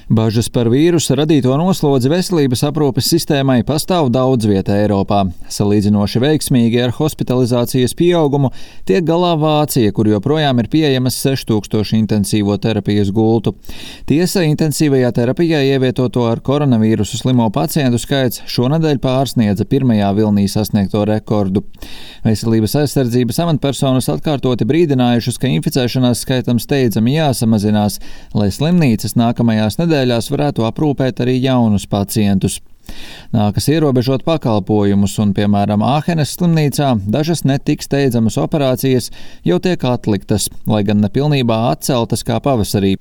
Bažas par vīrusa radīto noslodzi veselības aprūpes sistēmai pastāv daudz vietā Eiropā. Salīdzinoši veiksmīgi ar hospitalizācijas pieaugumu tiek galā Vācija, kur joprojām ir pieejamas 6000 intensīvo terapijas gultu. Tiesa, intensīvajā terapijā ievietoto ar koronavīrusu slimo pacientu skaits šonedēļ pārsniedza pirmajā vilnī sasniegto rekordu. Veselības aizsardzības amatpersonas atkārtoti brīdinājušas, ka inficēšanās skaitam steidzami jāsamazinās, lai slimnīcas nākamajās nedēļās varētu aprūpēt arī jaunus pacientus. Nākas ierobežot pakalpojumus un, piemēram, Āhenes slimnīcā dažas netik steidzamas operācijas jau tiek atliktas, lai gan nepilnībā atceltas kā pavasarī.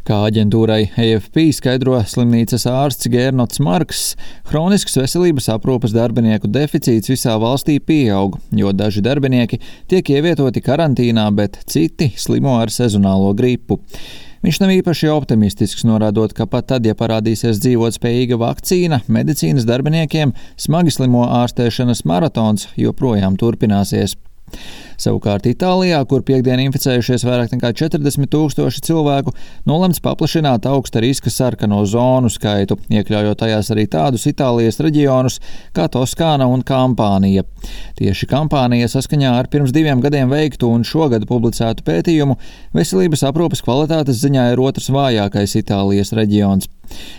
Kā aģentūrai AFP skaidro slimnīcas ārsts Gērnots Marks, hronisks veselības aprūpes darbinieku deficīts visā valstī pieaug, jo daži darbinieki tiek ievietoti karantīnā, bet citi slimo ar sezonālo gripu. Viņš nav īpaši optimistisks, norādot, ka pat tad, ja parādīsies dzīvotspējīga vakcīna, medicīnas darbiniekiem smagi slimo ārstēšanas maratons joprojām turpināsies. Savukārt Itālijā, kur piekdien inficējušies vairāk nekā 40 000 cilvēku, nolemts paplašināt augsta riska sarkano zonu skaitu, iekļaujot tajās arī tādus Itālijas reģionus kā Toskāna un Kampānija. Tieši Kampānija saskaņā ar pirms 2 gadiem veiktu un šogad publicētu pētījumu veselības aprūpes kvalitātes ziņā ir otrs vājākais Itālijas reģions.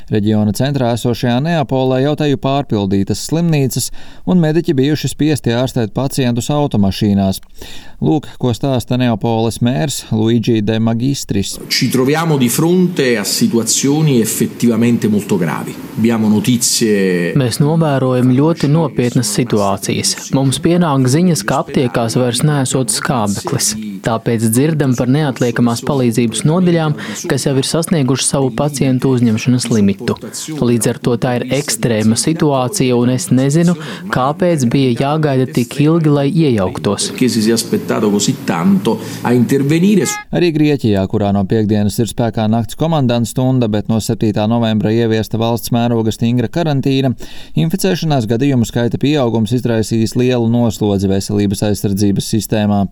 Reģiona centrā esošajā Neapolē jau teju pārpildītas slimnīcas un mediķi bijuši spiesti ārstēt pacientus automašīnās. Lūk, ko stāsta Neapoles mērs Luigi De Magistris. Ci troviamo di fronte a situazioni effettivamente molto gravi. Abbiamo notizie. Mēs novērojam ļoti nopietnas situācijas. Mums pienāk ziņas, ka aptiekās vairs neesot skābeklis. Tāpēc dzirdam par neatliekamās palīdzības nodaļām, kas jau ir sasnieguši savu pacientu uzņemšanas limitu. Līdz ar to tā ir ekstrēma situācija, un es nezinu, kāpēc bija jāgaida tik ilgi, lai iejauktos. Arī Grieķijā, kurā no piekdienas ir spēkā nakts komandanta stunda, bet no 7. novembra ieviesta valsts mēroga stingra karantīna, inficēšanās gadījumu skaita pieaugums izraisījis lielu noslodzi veselības aizsardzības sistēmā.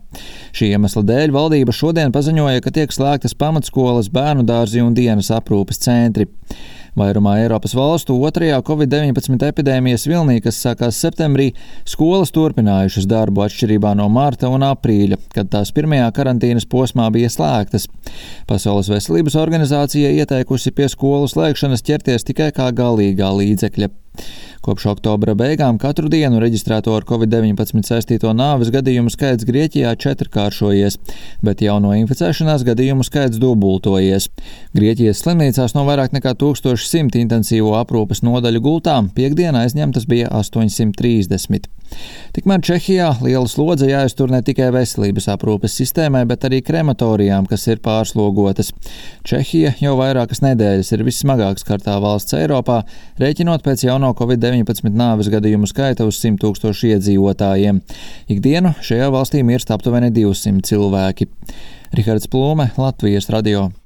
Šī iemesla dēļ valdība šodien paziņoja, ka tiek slēgtas pamatskolas, bērnu dārzi un dienas aprūpes centri. Vairumā Eiropas valstu otrajā Covid-19 epidēmijas vilnī, kas sākās septembrī, skolas turpinājušas darbu atšķirībā no marta un aprīļa, kad tās pirmajā karantīnas posmā bija slēgtas. Pasaules veselības organizācija ieteikusi pie skolu slēgšanas ķerties tikai kā galīgā līdzekļa. Kopš oktobra beigām katru dienu reģistrēto ar Covid-19 saistīto nāves gadījumu skaits Grieķijā 4-kāršojies, bet jauno inficēšanās gadījumu skaits dubultojies. Grieķijas slimnīcās no vairāk nekā 1100 intensīvo aprūpes nodaļu gultām piekdienā aizņemtas bija 830. Tikmēr Čehijā liela slodze jāiztur ne tikai veselības aprūpes sistēmai, bet arī krematorijām, kas ir pārslogotas. Čehija jau vairākas nedēļas ir vissmagāk skartā valsts Eiropā, rēķinot pēc jauno Covid-19 nāves gadījumu skaita uz 100 000 iedzīvotājiem. Ikdienu šajā valstī mirst aptuveni 200 cilvēki. Rihards Plūme, Latvijas radio.